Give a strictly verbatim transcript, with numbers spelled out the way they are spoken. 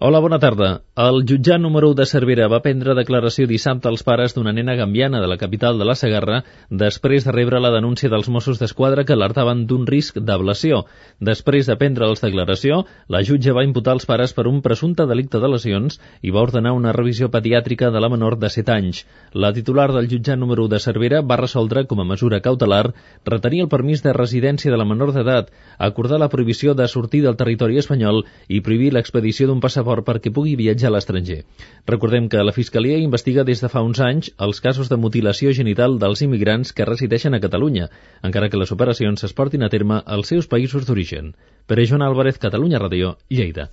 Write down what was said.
Hola, bona tarda. El jutjat número u de Cervera va prendre declaració dissabte als pares d'una nena gambiana de la capital de la Segarra després de rebre la denúncia dels Mossos d'Esquadra que alertaven d'un risc d'ablació. Després de prendre'ls declaració, la jutge va imputar els pares per un presumpte delicte de lesions i va ordenar una revisió pediàtrica de la menor de set anys. La titular del jutjat número u de Cervera va resoldre, com a mesura cautelar, retenir el permís de residència de la menor d'edat, acordar la prohibició de sortir del territori espanyol i prohibir l'expedició d'un passaport perquè pugui viatjar a l'estranger. Recordem que la Fiscalia investiga des de fa uns anys els casos de mutilació genital dels immigrants que resideixen a Catalunya, encara que les operacions es portin a terme als seus països d'origen. Pere Joan Álvarez, Catalunya Ràdio, Lleida.